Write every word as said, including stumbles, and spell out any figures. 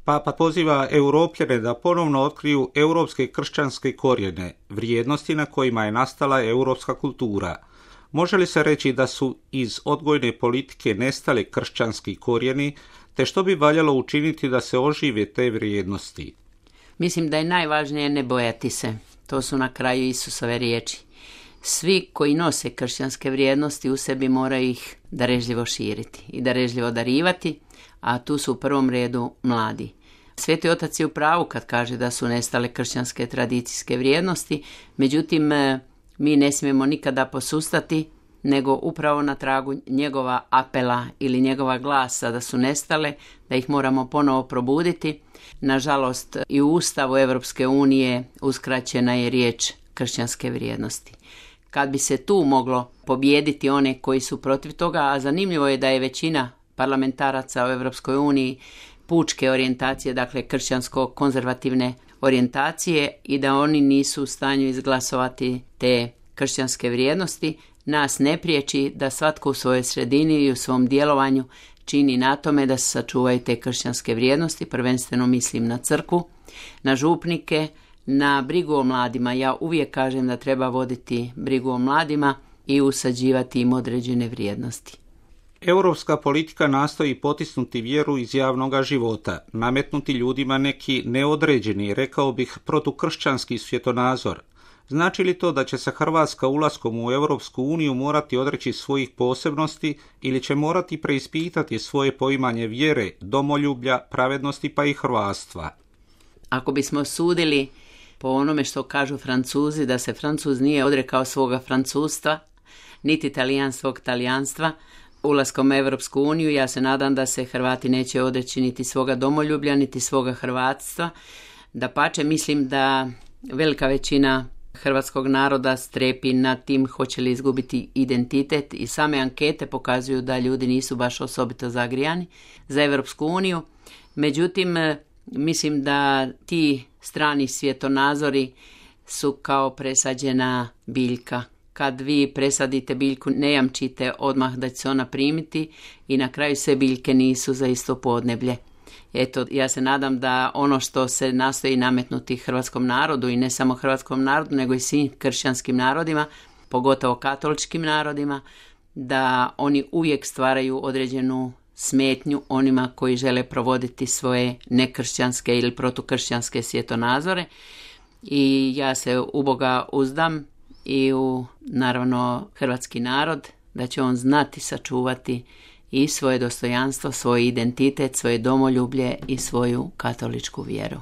Papa poziva Europljane da ponovno otkriju europske kršćanske korijene, vrijednosti na kojima je nastala europska kultura. Može li se reći da su iz odgojne politike nestale kršćanski korijeni, te što bi valjalo učiniti da se ožive te vrijednosti? Mislim da je najvažnije ne bojati se. To su na kraju Isusove riječi. Svi koji nose kršćanske vrijednosti u sebi moraju ih darežljivo širiti i darežljivo darivati, a tu su u prvom redu mladi. Sveti Otac je u pravu kad kaže da su nestale kršćanske tradicijske vrijednosti, međutim mi ne smijemo nikada posustati, nego upravo na tragu njegova apela ili njegova glasa da su nestale, da ih moramo ponovo probuditi. Nažalost, i u Ustavu Europske unije uskraćena je riječ kršćanske vrijednosti. Kad bi se tu moglo pobijediti one koji su protiv toga, a zanimljivo je da je većina parlamentaraca u Europskoj uniji pučke orijentacije, dakle kršćansko-konzervativne orijentacije, i da oni nisu u stanju izglasovati te kršćanske vrijednosti, nas ne priječi da svatko u svojoj sredini i u svom djelovanju čini na tome da se sačuvaju te kršćanske vrijednosti, prvenstveno mislim na crkvu, na župnike, na brigu o mladima. Ja uvijek kažem da treba voditi brigu o mladima i usađivati im određene vrijednosti. Europska politika nastoji potisnuti vjeru iz javnog života, nametnuti ljudima neki neodređeni, rekao bih, protukršćanski svjetonazor. Znači li to da će se Hrvatska ulaskom u Europsku uniju morati odreći svojih posebnosti ili će morati preispitati svoje poimanje vjere, domoljublja, pravednosti pa i hrvatstva? Ako bismo sudili po onome što kažu Francuzi, da se Francuz nije odrekao svoga francustva, niti Talijan svog talijanstva, ulaskom u Europsku uniju, ja se nadam da se Hrvati neće odreći niti svoga domoljublja, niti svoga hrvatstva. Dapače, mislim da velika većina hrvatskog naroda strepi nad tim hoće li izgubiti identitet, i same ankete pokazuju da ljudi nisu baš osobito zagrijani za Europsku uniju. Međutim, mislim da ti strani svjetonazori su kao presađena biljka. Kad vi presadite biljku, ne jamčite odmah da će se ona primiti i na kraju sve biljke nisu za isto podneblje. Eto, ja se nadam da ono što se nastoji nametnuti hrvatskom narodu, i ne samo hrvatskom narodu, nego i svim kršćanskim narodima, pogotovo katoličkim narodima, da oni uvijek stvaraju određenu smetnju onima koji žele provoditi svoje nekršćanske ili protukršćanske svjetonazore. I ja se u Boga uzdam i u, naravno, hrvatski narod, da će on znati sačuvati i svoje dostojanstvo, svoj identitet, svoje domoljublje i svoju katoličku vjeru.